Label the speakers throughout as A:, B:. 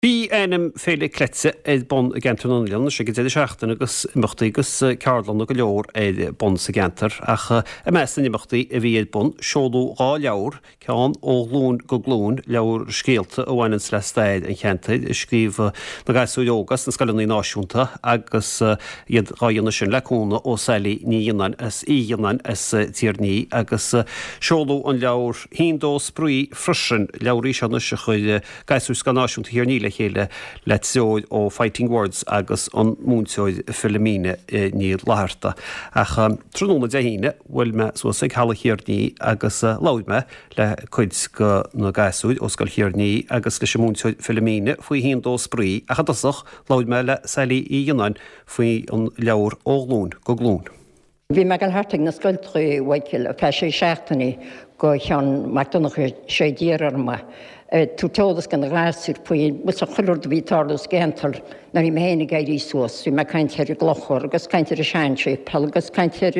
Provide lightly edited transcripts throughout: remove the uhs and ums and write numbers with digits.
A: Bhí ainm Féile Cleite ar bun i gceantar na nOileán anois ag an deireadh seachtaine agus imeachtaí agus ceardlanna go leor ar bun sa gceantar ach i measc na n-imeachtaí a bhí ar bun, seoladh 2 leabhar, ceann Ó Ghlúin go Glúin, leabhar scéalta a bhaineanns le stair an cheantair, a scríobh na gasúir óga as na scoileanna náisiúnta agus iad dhá dhéanamh sin le cúnamh ó Sally Ní Fhionnáin as Uí Fhionnáin as Tír an Fhia agus seoladh an leabhar Shín Dó Spraoi freisin, leabhar í seo anois a chuir Gasúir Scoil Náisiúnta Thír an Fhia le chéile le treoir ó Fighting Words agus an múinteoir Philomena Ní Fhlatharta. Ach tráthnóna Dé hAoine bhuail mé suas ag Halla Thír an Fhia agus labhair mé le cuid de na gasúir ó Scoil Thír an Fhia agus leis an múinteoir Philomena faoi Shín Dó Spraoi ach i dtosach labhair mé le Sally Uí Fhionnáin faoi an leabhar Ó Ghlúin go Glúin.
B: Bhí mé ag dul thart ag na scoilteacha, a Mhichael, ar feadh sé seachtainí go Sheán Mac Donncha sé d'iarr orm é, ag tabhairt eolas do na gasúir faoi chuile rud a bhí ag tarlú sa gceantar nuair a bhí mé féin ag éirí suas. Bhí mé ag caint ar an gclochar agus caint ar an seanséipéal agus caint ar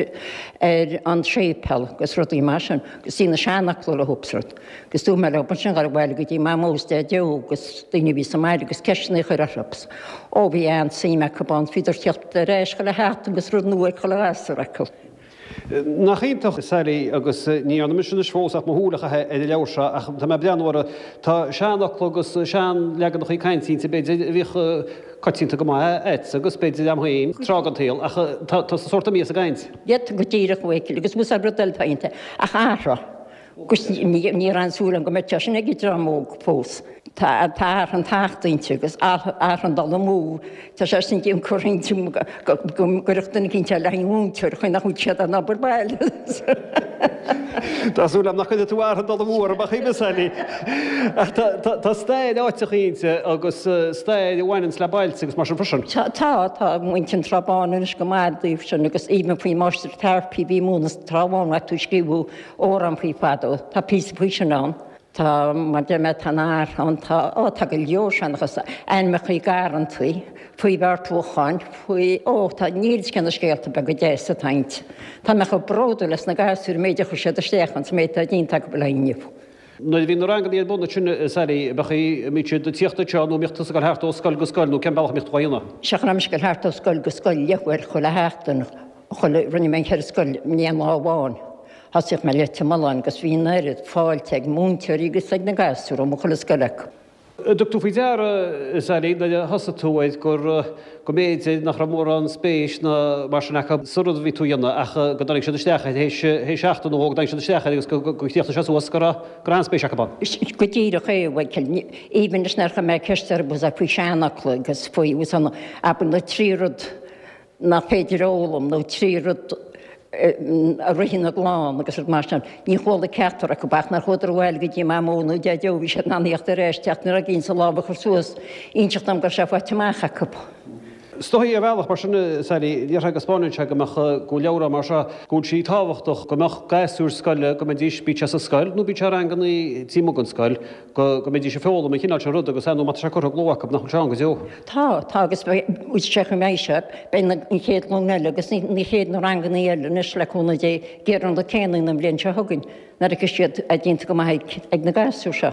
B: ar an séipéal agus rudaí mar sin agus bhí na seanfhocla leo is rud. Agus dúirt mé leo ansin dhul abhaile go dtí Mamó is Daideo agus daoine a bhí sa mbaile agus ceisteanna a chur orthu. Ó bhí an-suim acu ann, bhíodar ag teacht ar ais chuile sheachtain agus rud nua ag chuile ghasúr acu.
A: Nach iontach, Sally, agus ní dhearna mise anois fós ach mo shúil a chaitheamh ar an leabhar seo ach tá mé ag breathnú orthu, tá seanfhocla agus seanleaganacha cainte inti b'fhéidir a bhíodh coitianta go maith a'dsa agus b'fhéidir a'm féin tráth den tsaol ach tá sórt imithe as an gcaint.
B: Yeah, go díreach, a Mhichael, agus bhfuil rud eile atá inti ach athrá. Agus ní raibh aon súil agam go mbeadh sé sin ag an dream óg fós. Tá an tacht inti agus an dul amú. Tá sé sin déan curtha inti go gcuirfeadh duine eicínt eile an mhúinteoir chaoi nach bhfuil siad in obair baile.
A: Tá súil agam nach gcuirfidh tú an dul amú orm a choíche, Sally. Ach tá stair áiteacha inti agus stair a bhaineanns le bailte agus mar sin freisin.
B: Tá, tá muintir an Trá Báin anois go maith i dtaobh sin agus even faoi Máistir Tarpey a bhí ag múineadh sa Trá Bháin, tú ag scríobh amhrán faoi fadó. Tá píosa faoi sin ann. Tá, mar deir mé, tá an amhrán, tá, ó, tá go leor seanchas, ainmneacha garrantaí, faoi bheartúcháin, faoi, ó, tá, níl fhios cé na scéalta beaga deasa atá inti. Tá mé chomh bródúil as na gasúir, an méid a chuir siad isteach ann, is an méid atá déanta acu le inniu.
A: Nuair a bhí na ranganna ar bun ansin, a Sally, bheadh, an mbíodh siad ag tíocht anseo nó an mbíodh tusa ag dul thart ó scoil go scoil nó cén bealach a mbíodh tú á dhéanamh?
B: Sea, cha raibh mise ag dul thart ó scoil go scoil leathuair chuile sheachtain. Chuile, rinne mé an cheithre scoil in aon lá amháin. Thosaíodh mé Leitir Mealláin agus bhí an oiread fáilte ag múinteoirí agus ag na gasúir ó mo chuile scoil acu.
A: An dtug tú faoi deara, a Sally, nuair a thosaigh tú air gur, go mb'fhéidir nach raibh mórán spéis ná mar sin acu sa rud a bhí tú a dhéanamh ach go dtáinig siad isteach air théis, théis seachtain nó dhó go dtáinig siad isteach air agus go, go chríochnaigh sé suas go raibh, go raibh an-spéis acu ann?
B: Go díreach é, a Mhichael. Even leis nuair a chuir mé ceist orthu faoi seanfhocla agus faoi, abair na trí rud nach féidir a fhoghlaim nó 3 rud a ritheann i gclann agus rud mar sin. Ní chuala ceachtar acu ach nuair a chuadar abhaile go dtí Mamó nó Deaideo bhí siad in ann theacht ar ais teacht nuair a gcinn sa lámh a chur suas inseacht dom go raibh sé faighte amach acu.
A: Is dóigh ar bhealach mar sin, a Sally, déarfá go spáineann sé go mbeadh, go bhfuil leabhrán mar seo, go bhfuil sí tábhachtach, go mbeadh gasúir scoile, go mbeidís, bíodh sé sa scoil nó bíodh sé i ranganna taobh amuigh den scoil, go go mbeidís ag foghlaim an chineál sin ruda agus ar ndóigh má tá sé curtha i gcló acu nach bhfuil sé ann go deo.
B: Tá, tá agus beidh sé chomh maith seo, beidh na an chéad ghlúin eile agus na chéad na ranganna eile anois le cúnamh Dé ag iarraidh an rud céanna an bhliain seo chugainn nuair a fheicfidh siad é déanta go maith ag ag na gasúir seo.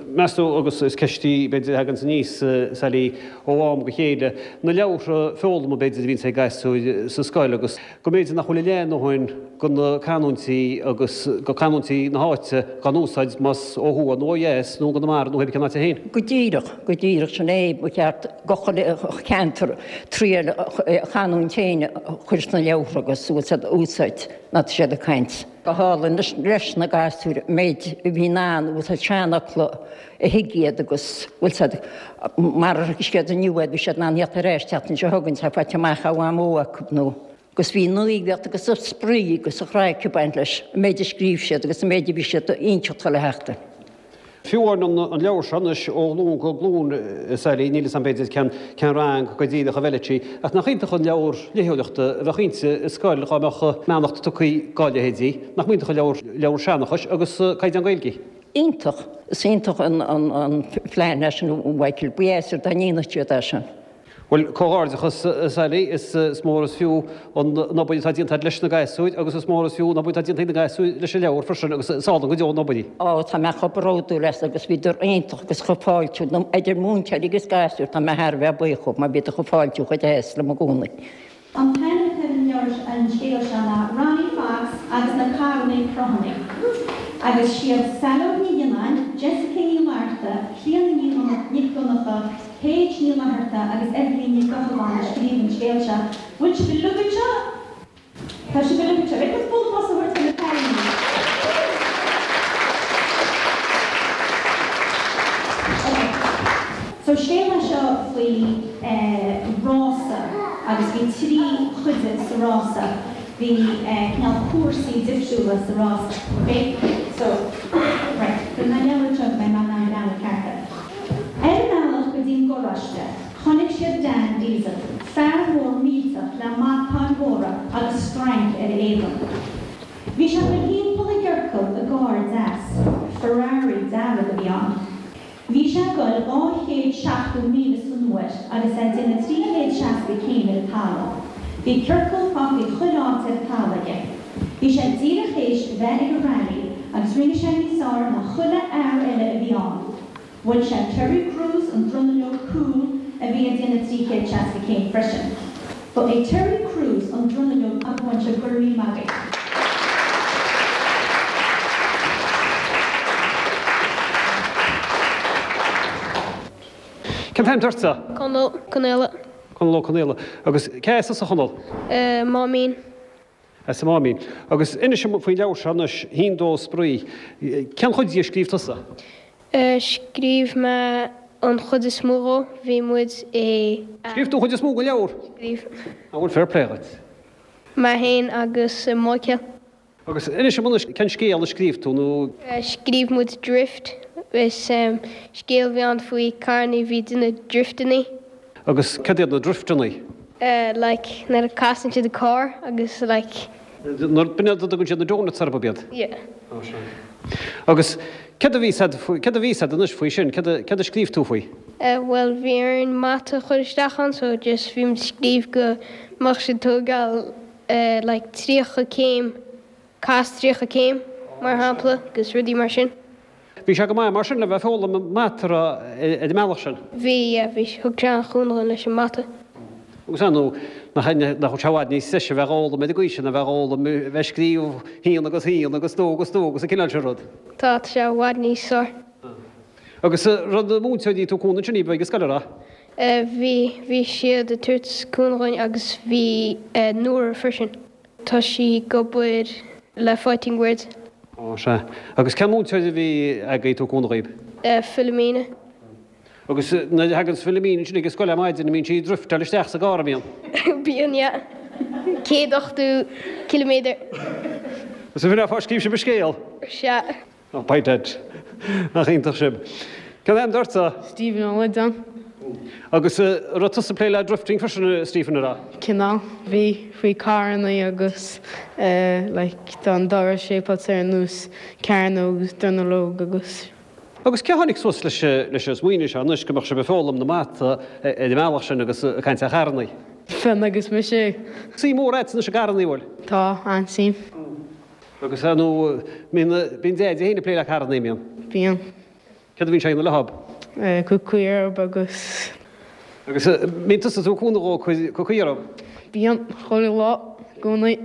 A: Meas tú, agus is ceist í b'fhéidir a thaganns aníos, Sally, ó am go chéile, na leabhartha foghlama b'fhéidir a bhíonns ag gasúir sa scoil agus go mb'fhéidir nach bhfuil a leath ndóthain de na canúintí agus de chanúintí na háite dhá n-úsáid más ó thuaidh nó ó dheas nó i gConamara nó pé cén áit é féin.
B: Go díreach, go díreach, sin é, ba cheart do chuile cheantar triail a chanúint féin a chur sna leabhartha agus úsáid nuair atá siad ag caint. Go hálainn leis na gasúir an méid a bhí in ann úsáid seanfhocla a thuig iad agus bhfuil siad mar a thuig siad inniu iad bhí siad in ann theacht ar ais tseachtain seo chugainn tá faighte amach ó Mhamó acu nó agus bhí an aoibheacht agus an spraoi agus an chraic ag baint leis, an méid a scríobh siad agus an méid a bhí siad a inseacht chuile sheachtain.
A: Fiú amháin an leabhar seo anois, Ó Ghlúin go Glúin, a Sally, níl 'fhios a'm b'fhéidir cén cén rang go díreach a bhfeilfeadh sí, ach nach iontach an leabhar léitheoireachta a bheadh inti i scoil dhá mbeadh beannacht tugtha dhá leithéidí, nach mb'iontach an leabhar leabhar seanchais agus caighdeán Gaeilge.
B: Iontach, is iontach an an an phlean é sin a Mhichael, ba dheas dá ndéanfadh siad é sin.
A: Bhuel, comhghairdeachas, a Sally, is mór is fiú an obair atá déanta agat leis na gasúir agus is mór is fiú an obair atá déanta ag na gasúir leis an leabhar freisin agus is álainn go deo an obair í.
B: Ó, tá mé chomh bródúil as agus bhíodar iontach agus chomh fáiltiúil, idir múinteoirí agus gasúir, tá mé thar a bheith buíoch dhóibh mar bhíodar chomh fáiltiúil chomh deas liom i gcónaí.
C: An t-ainm atá ar an leabhar seo, an scéal seo ná Ronnie Fox agus na Carrannaí Crothúnaí. Agus siad Saileog Ní Ghionnáin, Jessica Ní Fhlatharta, Clíona Ní Nic Dhonncha, Paige Ní Fhlatharta agus Eibhlín Nic Gochabháin a scríobh an scéal seo. Bhfuil sibh uilig anseo? Tá sibh uilig anseo. Right, let's bualadh bos a thabhairt do na cailíní. Ok. So scéal é seo faoi rása agus bhí 3 chuid sa rása. Bhí cineál cúrsaí difriúla sa rása. Ok? So, right. Cuir na leabhair anseo go mbeidh mé in ann breathnú ceart air. Ar a mbealach go dtí an garáiste, chonaic siad Dan Diesel, fear mór millteach le matáin mhóra agus strainc ar a éadan. Bhí sé ag dul thimpeall i gciorcal i gcarr deas. Ferrari dearg a bhí ann. Bhí sé ag dul 270 míle san uair agus é ag déanamh 360 céim ar an talamh. Bhí ciorcal fágtha chuile áit ar an talamh aige. Bhí sé díreach théis bheith ag an rally agus rinne sé níos fearr ná chuile fhear eile a bhí ann. Bhuail sé Terry Crews an dronuilleog cúil a bhí ag déanamh 360 céim freisin. Ba é Terry Crews an dronuilleog a bhain sé go raibh míle maith agaibh.
A: Cén t-ainm atá ortsa?
D: Conall Ó Conaola.
A: Conall Ó Conaola. Agus cé as tusa, a Chonaill?
D: Máimín.
A: As an Máimín. Agus inis dom faoin leabhar seo anois, Haon Dó Spraoi. Cén chuid de a scríobh tusa?
D: Scríobh mé an chuid is mó dhó. Bhí muid i.
A: Scríobh tú an chuid is mó den leabhar?
D: Scríobh.
A: Á bhuel fair play dhuit.
D: Mé féin agus Michael.
A: Agus inis dom anois cén scéal a scríobh tú nó.
D: Scríobh muid Drift. Is scéal a bhí ann faoi carrannaí a bhí ag déanamh drifteannaí.
A: Agus cad iad na drifteannaí?
D: Like nuair a casann siad an carr agus like.
A: Nuair, b'in iad a dtugann siad na donuts orthu, ab iad?
D: Yeah.
A: Ó sea. Agus céard a bhí said faoi, céard a bhí said anois faoi sin, céard a, céard a scríobh tú faoi?
D: Bhuel bhí orainn mata a chur isteach ann so just bhí muid ag scríobh go mbeadh siad tógáil like 30 céim, cas 30 céim mar shampla agus rudaí mar sin.
A: Bhí sé go maith mar sin le bheith ag foghlaim mata ar an mbealach sin.
D: Bhí, yeah, bhí, thug sé an-chúnamh dúinn leis an mata.
A: Agus ar ndóigh, nach nach bhfuil sé i bhfad níos deise a bheith ag fhoghlaim ar an gcaoi sin ná a bheith ag fhoghlaim, a bheith ag scríobh haon agus haon agus dó agus dó agus an cineál sin rud.
D: Tá, tá sé i bhfad níos fearr.
A: Agus raibh na múinteoirí ag tabhairt cúnamh ansin daoibh ag an scoil, an raibh?
D: Bhí, bhí siad ag tabhairt cúnamh dhúinn agus bhí Nóra freisin. Tá sí ag obair le Fighting Words.
A: Ó, sea. Agus cén múinteoir a bhí agaibh ag tabhairt cúnamh dhaoibh?
D: Philomena.
A: Agus nuair a thaganns Philomena ansin ag an scoil ar maidin, an mbíonn sí ag drifteáil isteach sa gcarr, an mbíonn?
D: Bíonn, yeah. 180 ciliméadar.
A: Agus an bhfin fá scríobh sibh an scéal?
D: Sea.
A: Oh, by dad. Nach iontach sibh. Cén t-ainm atá ortsa?
E: Stephen Ó Loideáin.
A: Agus an raibh tusa ag plé le drifting freisin, a Stephen, an raibh?
E: Cineál. Bhí. Faoi carrannaí agus like tá an doras shaped ar nós cearnóg agus dronuilleog agus.
A: Agus cé a tháinig suas leis leis an smaoineamh seo anois go mbeadh sibh ag foghlaim na mata ar an mbealach sin agus ag caint ar charrannaí?
E: Fionn agus mise.
A: Suim mhór agat anois i gcarrannaí, an bhfuil?
E: Tá, an-suim.
A: Agus ar ndóigh, bíonn, bíonn Deaidí féin ag plé le carrannaí, an mbíonn?
E: Bíonn.
A: Céard a bhíonn sé a dhéanamh leob?
E: Cur caoi orthub agus.
A: Agus mbíonn tusa ag tabhairt cúnamh dhó cur caoi orthub?
E: Bíonn, chuile lá, i gcónaí.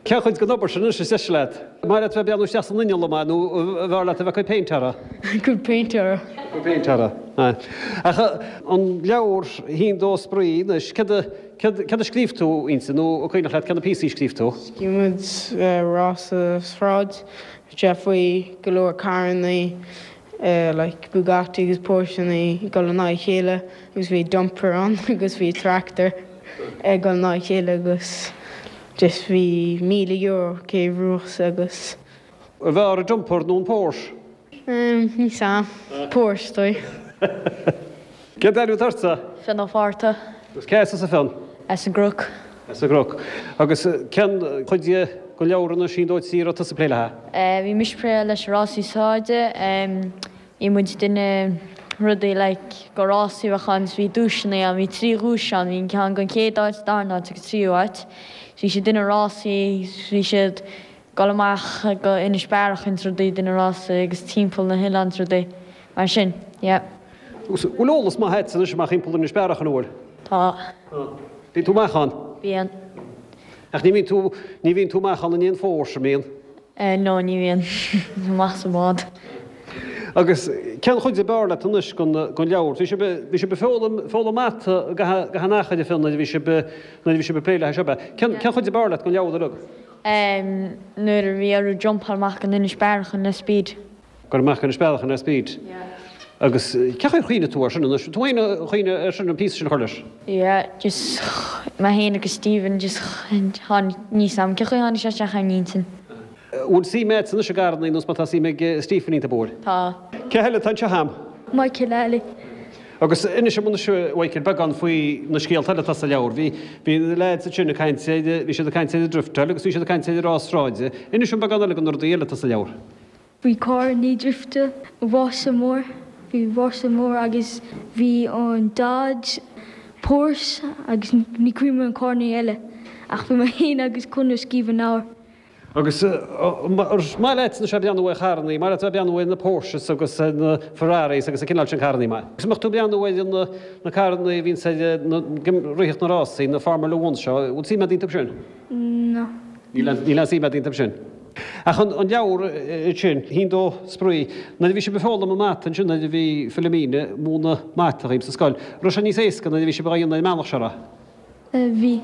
A: Cén chuid den obair sin anois is deise leat? An maith leat bheith ag breathnú isteach san inneall an maith nó an bhfearr leat a bheith ag cur péint orthu?
E: Cur péint orthu.
A: Cur péint orthu, aye. Ach an leabhar Haon Dó Spraoi anois, céard a, Céard a scríobh tú inti, nó an cuimhneach leat cé na píosaí a scríobh tú?
E: Scríobh muid rása sráid, sé faoi go leor carrannaí like Bugatti agus Porscheannaí ag dul in aghaidh a chéile agus bhí dumper ann agus bhí tractor ag dul in aghaidh a chéile agus just bhí €1,000 cé bhuafas agus.
A: An bhfearr an dumper nó an Porsche?
E: Ní sam. Porsche dóigh.
A: Cén t-ainm atá ortsa?
F: Fionn Ó Fátharta.
A: Agus cé as tusa Fionn?
F: As an gCnoc.
A: As an gCnoc. Agus cén chuid den leabhar anois Haon Dó Trí a raibh tusa ag plé léi?
F: Bhí mise ag plé leis an rásaí sráide. Bhí muid ag déanamh. rudaí like go rásaí a bheadh ann is bhí duaiseanna ann, bhí 3 dhuais ann, bhí an ceann don chéad áit, darna áit agus tríú áit. Bhí siad ag déanamh rásaí, bhí siad dul amach go Inis Bearach is rudaí ag déanamh rásaí agus timpeall na hoileáin is rudaí mar sin, yeah.
A: Agus bhfuil eolas maith agat anois amach thimpeall Inis Bearach an bhfuil?
F: Tá.
A: Bíonn tú amach ann?
F: Bíonn.
A: Ach ní bhíonn tú, ní bhíonn tú amach ann in aon Phorsche, an mbíonn?
F: No, ní bhíonn. Amach sa bhád.
A: Agus cén chuid ab fhearr leat anois den leabhar? Bhí sibh, bhí sibh ag foghlaim, foghlaim mata gach aon achair a Fionn nuair a bhí sibh, nuair a bhí sibh ag plé leis seo, ab ea? Cén, cén chuid ab fhearr leat den leabhar uilig?
F: Nuair a bhí orthu jumpáil amach go Inis Bearach le Speed.
A: Dul amach go Inis Bearach le Speed. Agus cén chaoi ar chuimhnigh tú air sin anois? Tú féin a chuimhnigh air sin an píosa sin a chur leis?
F: Yeah, just mé féin agus Stephen just tháinig, níl 's a'm cén chaoi a tháinig sé isteach ar m'intinn.
A: Bhfuil suim agat anois i gcarrannaí nós mar tá suim ag Stephen iontu, bhfuil?
F: Tá.
A: Cé eile atá anseo a'm?
D: Michael Alley.
A: Agus inis dom anois, a Mhichael, beagán faoi na scéalta eile atá sa leabhar. Bhí, bhí na leaids ansin ag caint ar, bhí siad ag caint ar an driftáil agus bhí siad ag caint ar an rás sráide. Inis dom beagán eile de na rudaí eile atá sa leabhar.
D: Bhí carrannaí drifte, rása mór, bhí rása mór agus bhí an Dodge, Porsche agus ní cuimhin liom an carrannaí eile ach bhí mé féin agus Conor ag scríobh an leabhar.
A: Agus an maith leat anois a bheith ag breathnú ar charrannaí, maith leat a bheith ag breathnú ar na Porsches agus ar na Ferraris agus an cineál sin carrannaí, maith. Agus an mbeadh tú ag breathnú ar na carrannaí a bhíonns ag ritheacht na rásaí, na Formula One seo, bhfuil suim agat iontu sin?
D: No.
A: Níl aon suim agat iontu sin. Ach an leabhar sin, Haon Dó Spraoi, nuair a bhí sibh ag foghlaim an mata ansin, nuair a bhí Philomena ag múineadh mata dhaoibh sa scoil, raibh sé níos éasca nuair a bhí sibh á dhéanamh ar an mbealach seo, raibh?
D: Bhí.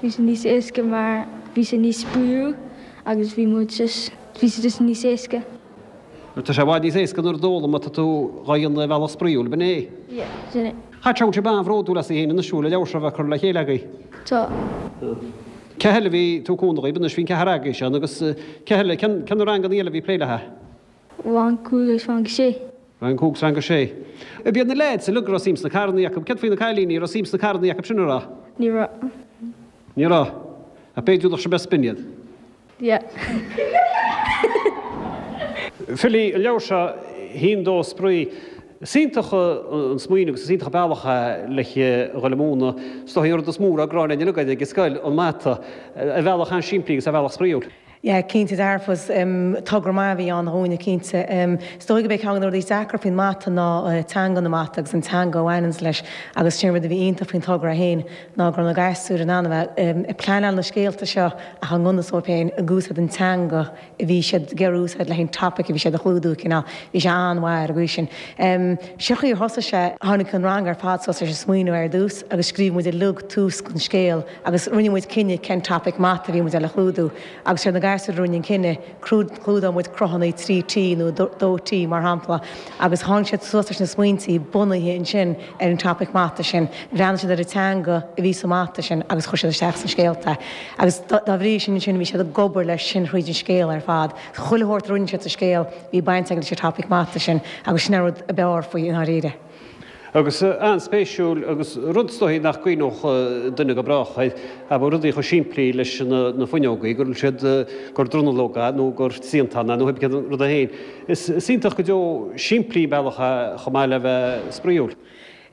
D: Bhí sé níos éasca mar bhí sé níos spraíúil agus bhí muid just, bhí sé just níos éasca.
A: Tá sé i bhfad níos éasca an rud a fhoghlaim má tá tú dhá dhéanamh ar bhealach spraíúil, ab in é?
D: Yeah, sin é.
A: Chaithfidh sé go bhfuil sibh an-bhródúil asaibh féin anois, bhfuil, an leabhar seo a bheith curtha le chéile agaibh?
D: Tá.
A: Cé eile a bhí ag tabhairt cúnamh dhaoibh anois? Bhí an ceathrar agaibhse ann agus cé eile, cén na ranganna eile a bhí ag plé léi?
D: Rang 5 agus rang 6.
A: Rang 5 agus rang 6. Ab iad na leaids uilig a raibh suim sna carrannaí acu? Céard faoi na cailíní, raibh suim sna carrannaí acu sin, an raibh?
D: Ní raibh.
A: Ní raibh. Ach b'fhéidir nach sibh a spin iad.
D: Yeah.
A: Philly, an leabhar seo, Haon Dó Spraoi. Is iontach an smaoineamh agus is iontach an bealach é le dhul ag múineadh. Is dóigh an rud is mó a raibh gráin againn uilig air ag an scoil, an mata, ar bhealach an-simplí agus ar bhealach spraíúil.
G: Yeah, cinnte dearfa. Is togra maith a bhí ann dhúinne, cinnte. Is dóigh gurb é ceann de na rudaí is deacra faoin mata ná teanga na mata agus an teanga a bhaineanns leis agus sin an rud a bhí iontach faoin togra é féin ná go raibh na gasúir in ann a bheith ag pleanáil na scéalta seo ach i ngan fhios dóibh féin ag úsáid an teanga a bhí siad ag iarraidh úsáid le haghaidh an topic a bhí siad a chlúdú, cineál. Bhí sé an-mhaith ar an gcaoi sin. Seo chaoi ar thosaigh sé, tháinig an rang ar fad suas leis an smaoineamh ar dtús agus scríobh muid uilig tús don scéal agus rinne muid cinneadh cén topic mata a bhí muid le chlúdú agus siad na gasúir a rinne an cinneadh, clúdóidh muid cruthanna 3T nó 2T mar shampla agus tháinig siad suas leis na smaointí bunaithe ansin ar an topic mata sin. Bhreathnaigh siad ar an teanga a bhí sa mata sin agus chuir siad isteach sna scéalta é. Agus dá bhrí sin ansin bhí siad ag obair leis sin thríd an scéal ar fad. Chuile shórt a rinne siad sa scéal bhí baint aige leis an topic mata sin agus sin an rud ab fhearr faoi i ndáiríre.
A: Agus an-spéisiúil agus rud is dóichí nach gcuimhneodh duine go brách air, abair rudaí chomh simplí leis na fuinneogaí, go raibh siad, gur dronuilleoga nó gur triantán é nó cibé cén rud é féin. Is iontach go deo simplí an bealach é chomh maith le bheith spraíúil.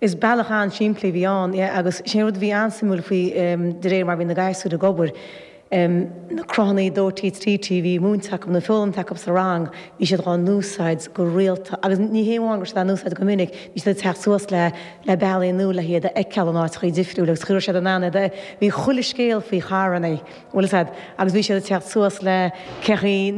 G: Is bealach an-simplí a bhí ann, yeah, agus sé an rud a bhí an-suimiúil faoi de réir mar a bhí na gasúir ag obair, na cruthanna 2T, 3T a bhí múinte acu nó foghlamtha acu sa rang, bhí siad dhá n-úsáid go rialta agus ní hé amháin go raibh siad á n-úsáid go minic, bhí siad ag teacht suas le le bealaí nua le hiad a fheiceáil in áiteachaí difriúla agus chuir siad in ann iad a, bhí chuile scéal faoi charrannaí. Bhfuil fhios a'd, agus bhí siad ag teacht suas le cé chaoi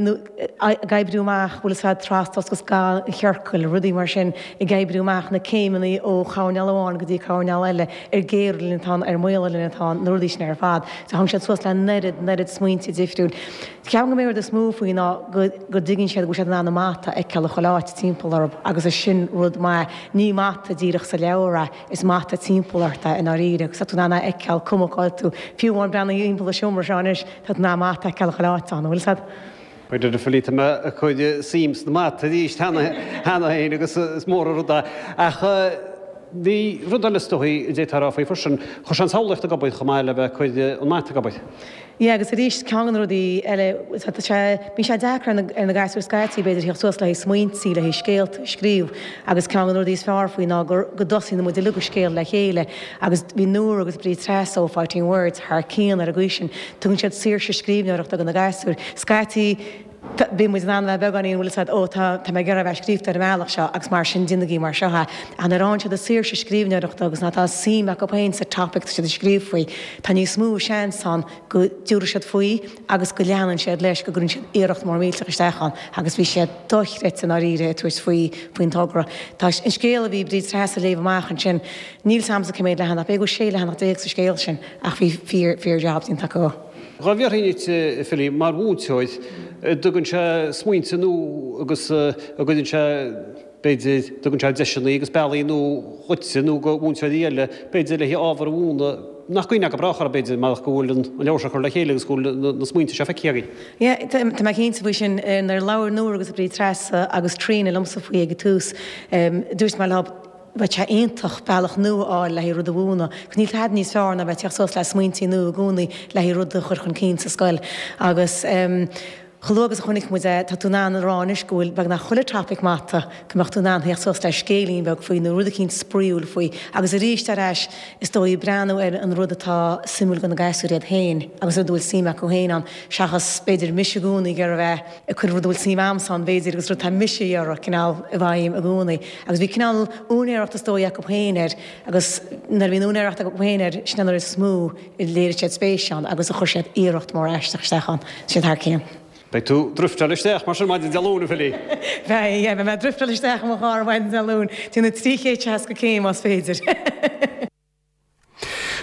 G: ag oibriú amach, bhfuil fhios a'd, trasdul agus ga an chiorcail, rudaí mar sin, ag oibriú amach na céimeanna ó choirnéal amháin go dtí coirnéal eile, ar géire linn atá ann, ar maola linn atá ann, na rudaí sin ar fad. So tháinig siad suas le an oiread, an oiread smaointe difriúil. Ceapaim go mb'é an rud is mó faoi ná go, go dtuigeann siad go bhfuil siad in ann an mata a fheiceáil i chuile áit timpeall orthu agus is sin rud maith. Ní mata díreach sa leabhar é. Is mata timpeall ort é i ndáiríre agus tá tú in ann é a fheiceáil, cuma cá bhfuil tú. Fiú amháin breathnaigh thimpeall an seomra seo anois, tá tú in ann mata a fheiceáil chuile áit ann, an bhfuil fhios a'd?
A: Bhuel, a Philly, tá mé ag cur suim sna mata arís cheana féin agus is mór an rud é. Ach. Bhí rud eile is dóichí a d'fhéadfá a rá faoi freisin, chuir sé an tsamhlaíocht ag obair chomh maith le bheith ag cur an mata ag obair.
G: Yeah agus arís ceann de na rudaí eile, tá sé, bíonn sé deacair ar na, ar na gasúir scaití b'fhéidir theacht suas le haghaidh smaointí, le haghaidh scéalta a scríobh agus ceann de na rudaí is fearr faoi ná gur, go dtosaíonn muid uilig ag scéal le chéile agus bhí Nóra agus Bríd Treasa ó Fighting Words thar cionn ar an gcaoi sin. Tugann siad saoirse scríbhneoireachta do na gasúir. Scaití bíonn muid in ann a bheith beagáinín, bhfuil a fhios agat, ó tá, tá mé ag iarraidh a bheith scríofa ar an mbealach seo agus mar sin déanaigí mar seo é. Ach nuair a fhaigheann siad a saoirse scríbhneoireachta agus nuair atá suim acu féin sa topic atá siad ag scríobh faoi, tá níos mó seans ann go dtabharfaidh siad faoi agus go leanann siad leis, go gcuireann siad iarracht mór millteach isteach ann agus bhí siad dochreidte i ndáiríre ag tabhairt faoi, faoin togra. Tá an scéal a bhí Bríd Treasa a léamh amach ansin, níl 's a'msa cé méad leathanach, b'fhéidir go bhfuil 16 leathanach sa scéal sin ach bhí fíor, fíor job déanta acu.
A: Dá bhféadfainn duit, a Philly, mar mhúinteoir, an dtugann sé smaointe nua agus an gcuireann sé, b'fhéidir, dtugann sé deiseanna agus bealaí nua dhuitse nó do mhúinteoirí eile, b'fhéidir, le ábhar a mhúineadh nach gcuimhneofá go brách orthu, b'fhéidir, marach go bhfuil an leabhar seo curtha le chéile agus go bhfuil na smaointe seo feicthe againn.
G: Yeah, tá mé cinnte faoi sin. Nuair a labhair Nóra agus Bríd Treasa agus Tríona liomsa faoi ag an tús, dúirt mé leo, Bheadh sé iontach bealach nua a fháil le haghaidh rud a mhúineadh, 'cause níl tada níos fearr ná bheith ag teacht suas le smaointí nua i gcónaí le haghaidh rud a chur chun cinn sa scoil. Agus chomh luath agus a chonaic muid é, tá tú in ann a rá anois go bhfuil beagnach chuile topic mata go mbeadh tú in ann theacht suas le scéilín beag faoi nó rud eicínt spraíúil faoi. Agus arís ar ais, is dóigh, breathnú ar an rud atá suimiúil do na gasúir iad féin agus rud a bhfuil suim acu féin ann, seachas b'fhéidir mise i gcónaí ag iarraidh a bheith ag cur rud a bhfuil suim a'msa ann, b'fhéidir, agus rud atá mise a iarraidh, cineál, i bhfeidhm i gcónaí. Agus bhí cineál úinéireacht is dóigh acu féin air agus nuair a bhíonn úinéireacht acu féin air, sin an uair is mó a léirigh siad spéis ann agus a chuir siad iarracht mór aisteach isteach ann. Tá siad thar cionn.
A: Beidh tú ag drifteáil isteach mar sin maidin Dé Luain, a Philly.
G: Beidh, yeah, beidh mé ag drifteáil isteach i mo charr maidin Dé Luain, déanamh 360 céim más féidir.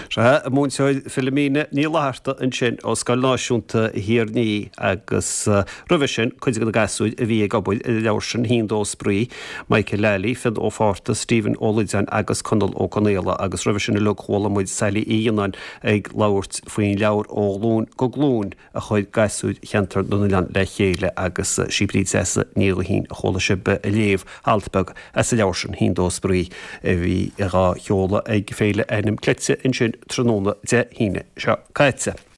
A: Sea, an Múinteoir Philomena Ní Fhlatharta ansin ó Scoil Náisiúnta Thír an Fhia agus roimhe sin cuid de na gasúir a bhí ag obair ar an leabhar sin, Haon Dó Spraoi, Michael Lally, Fionn Ó Fátharta, Stephen Ó Loideáin agus Conall Ó Conaola agus roimhe sin uilig chuala muid Sailí Uí Fhionnáin ag labhairt faoin leabhar Ó Ghlúin go Glúin. a chuir gasúir Cheantar na nOileán le chéile agus sí Bríd Treasa Ní Ghuithín a chuala sibh ag léamh alt beag as an leabhar sin, Haon Dó Spraoi, a bhí dhá sheoladh ag Féile Ainm Cleite ansin tráthnóna Dé hAoine seo caite.